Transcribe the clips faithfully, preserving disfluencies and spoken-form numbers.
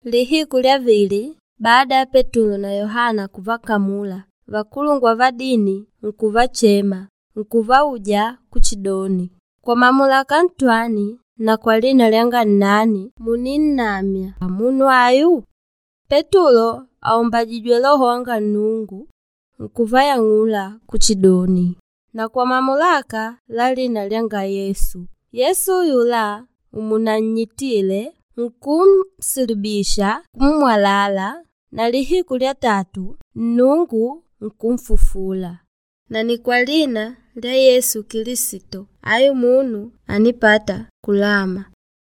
Lihiku lya vili baada ya Petulo na Yohana kuvakamula, vakulungwa va dini nkuvachema nkuvauja kuchidoni, kwa mamulaka ntwani na kwa lina lyanga nnani muninnamya munu ayu? Petulo aumbajijwe Loho wanga Nnungu nkuvayang'ula kuchidoni, na kwa mamulaka la lina lyanga Yesu. Yesu yula umunannyitile nkunsulubisha kummwalala na lihiku lya tatu Nnungu nkunfufula. Na ni kwa lina lya Yesu Kilisito ayu munu anipata kulama.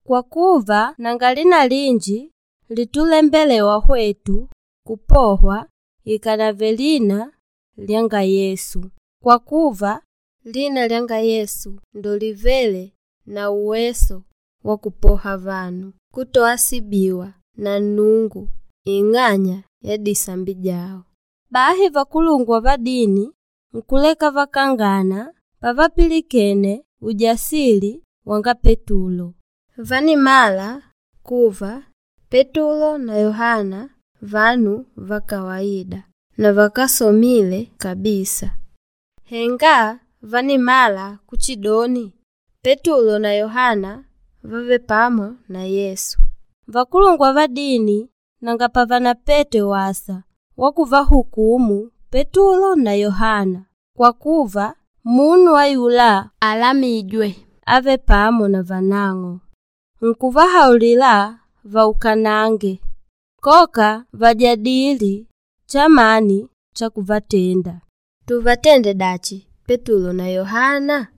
Kwa kuva nanga lina linji litulembelewa hwetu kupohwa ikanave lina lyanga Yesu. Kwa kuva lina lyanga Yesu ndo livele na uweso wa kupoha vanu kutoasibiwa na Nnungu ing'anya ya disambi dyao. Bahi vakulungwa va dini nkuleka vakangana pavapilikene ujasili wanga Petulo. Vanimala kuva Petulo na Yohana vanu va kawaida na vakásomile kabisa. Henga vanimala kuchidoni Petulo na Yohana vave pamo na Yesu. Vakulungwa va dini nanga pavanapete wasa wa kuvahukumu Petulo na Yohana kwa kuva munu ayula alamijwe ave pamo na vanang'o. Nkuvahaulila vaukanange koka vajadili chamani cha kuvatenda. Tuvatende dachi Petulo na Yohana?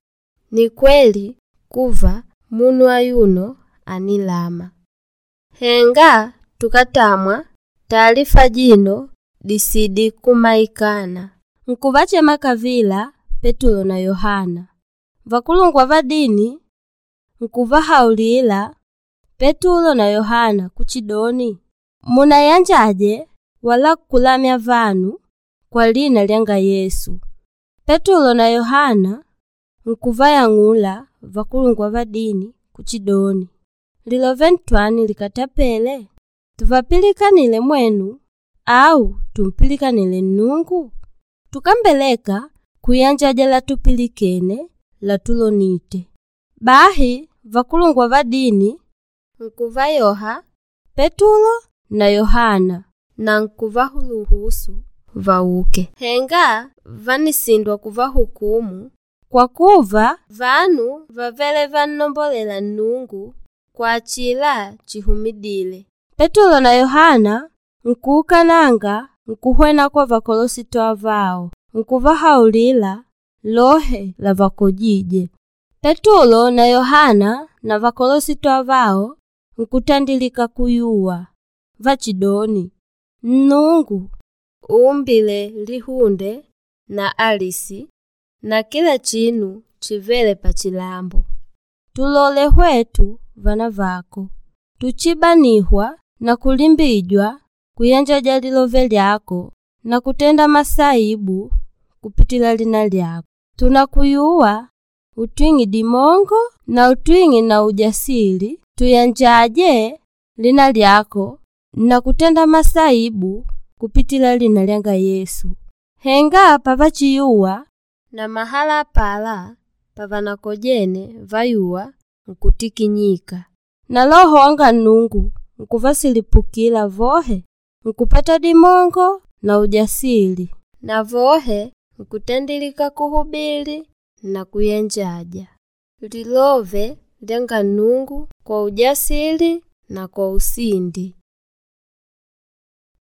Ni kweli kuva munu ayuno anilama. Henga tukatamwa taalifa jino disidi kumaikana. Nkuvachema kavila Petulo na Yohana. Vakulungwa va dini nkuvahaulila Petulo na Yohana kuchidoni, munayanjaje wala kulamya vanu kwa lina lyanga Yesu. Petulo na Yohana nkuvayang'ula vakulungwa va dini kuchidoni, lilove ntwani likatapele? Tuvapilikanile mwenu au tumpilikanile Nnungu? Tukambeleka kuyanjaja latupilikene latulonite. Bahi vakulungwa va dini nkuvayoha Petulo na Yohana na nkuvaluhusu vauke. Henga vanisindwa kuvahukumu kwa kuva vanu vavele vannombolela Nnungu kwa achila chihumidile. Petulo na Yohana nkuukananga nkuhwena kwa vakolosito avao nkuvahaulila lohe lavakojije. Petulo na Yohana na vakolosito avao nkutandilika kuyuwa vachidoni, Nnungu uumbile lihunde na alisi na kila chinu chivele pachilambo. Tulole hwetu vana vako tuchibanihwa na kulimbijwa kuyanjaja lilove lyako na kutenda masaibu kupitila lina lyako. Tunakuyuwa utwing'i dimongo na utwing'i na ujasili tuyanjaje lina lyako na kutenda masaibu kupitila lina lyanga Yesu. Henga pavachiyuwa na mahala pala pavanakojene vayuwa nkutikinyika. Na Loho wanga Nnungu nkuvasilipukila vohe nkupata dimongo na ujasili na vohe nkutandilika kuhubili na kuyanjaja lilove lyanga Nnungu kwa ujasili na kwa usindi.